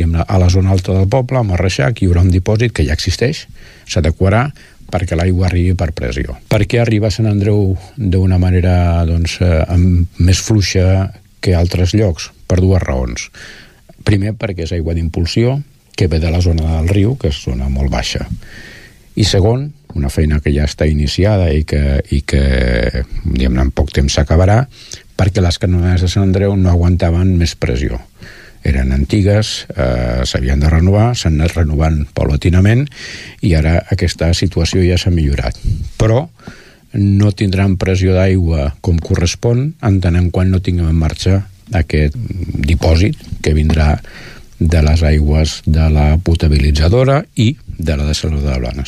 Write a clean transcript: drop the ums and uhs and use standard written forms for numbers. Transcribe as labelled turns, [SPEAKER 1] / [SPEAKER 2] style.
[SPEAKER 1] a la zona alta del poble, a Marreixac, hi haurà un dipòsit que ja existeix, s'adequarà perquè l'aigua arribi per pressió. Per què arriba a Sant Andreu d'una manera més fluixa que altres llocs? Per dues raons. Primer, perquè és aigua d'impulsió, que ve de la zona del riu, que és zona molt baixa. I segon, una feina que ja està iniciada i que en poc temps s'acabarà, perquè les canonades de Sant Andreu no aguantaven més pressió. Eren antigues, s'havien de renovar, s'han anat renovant paulatinament i ara aquesta situació ja s'ha millorat. Però no tindran pressió d'aigua com correspon en tant en quant no tinguem en marxa aquest dipòsit que vindrà de les aigües de la potabilitzadora i de la dessaladora de Blanes.